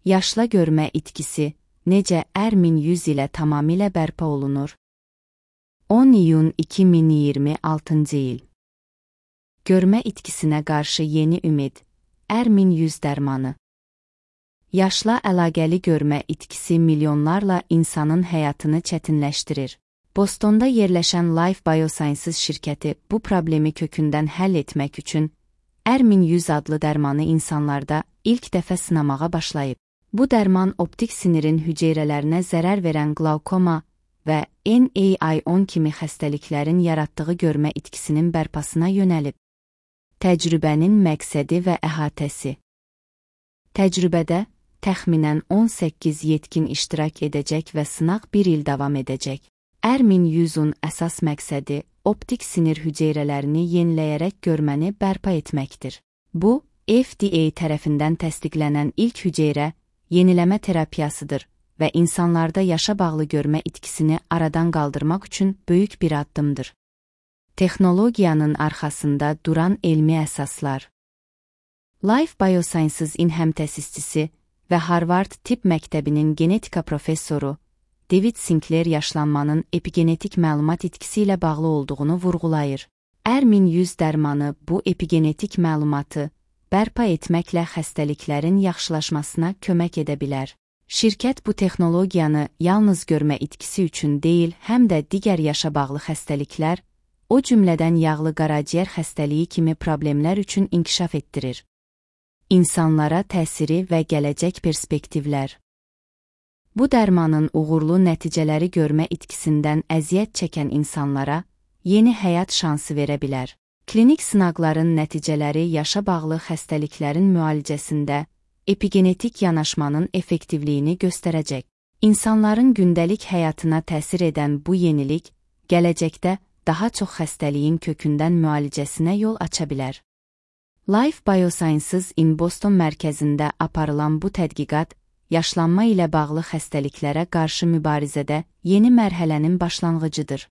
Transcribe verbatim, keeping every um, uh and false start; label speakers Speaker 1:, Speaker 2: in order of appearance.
Speaker 1: Yaşla görmə itkisi necəər min yüz ilə tamamilə bərpa olunur? on iyun iki min iyirmi altıncı il. Görmə itkisinə qarşı yeni ümid,ər min yüz dərmanı. Yaşla əlaqəli görmə itkisi milyonlarla insanın həyatını çətinləşdirir. Bostonda yerləşən Life Biosciences şirkəti bu problemi kökündən həll etmək üçünər min yüz adlı dərmanı insanlarda ilk dəfə sınamağa başlayıb. Bu dərman optik sinirin hüceyrələrinə zərər verən qlaukoma və N A I on kimi xəstəliklərin yaratdığı görmə itkisinin bərpasına yönəlib. Təcrübənin məqsədi və əhatəsi. Təcrübədə təxminən on səkkiz yetkin iştirak edəcək və sınaq bir il davam edəcək.Ər min yüzün əsas məqsədi optik sinir hüceyrələrini yeniləyərək görməni bərpa etməkdir. Bu, F D A tərəfindən təsdiqlənən ilk hüceyrə yeniləmə terapiyasıdır və insanlarda yaşa bağlı görmə itkisini aradan qaldırmaq üçün böyük bir addımdır. Texnologiyanın arxasında duran elmi əsaslar. Life Biosciences-in həmtəsisçisi və Harvard Tibb Məktəbinin genetika professoru David Sinclair yaşlanmanın epigenetik məlumat itkisi ilə bağlı olduğunu vurğulayır. Hər min yüz dərmanı bu epigenetik məlumatı bərpa etməklə xəstəliklərin yaxşılaşmasına kömək edə bilər. Şirkət bu texnologiyanı yalnız görmə itkisi üçün deyil, həm də digər yaşa bağlı xəstəliklər, o cümlədən yağlı qaraciyər xəstəliyi kimi problemlər üçün inkişaf etdirir. İnsanlara təsiri və gələcək perspektivlər. Bu dərmanın uğurlu nəticələri görmə itkisindən əziyyət çəkən insanlara yeni həyat şansı verə bilər. Klinik sınaqların nəticələri yaşa bağlı xəstəliklərin müalicəsində epigenetik yanaşmanın effektivliyini göstərəcək. İnsanların gündəlik həyatına təsir edən bu yenilik, gələcəkdə daha çox xəstəliyin kökündən müalicəsinə yol aça bilər. Life Biosciences-in Boston mərkəzində aparılan bu tədqiqat, yaşlanma ilə bağlı xəstəliklərə qarşı mübarizədə yeni mərhələnin başlanğıcıdır.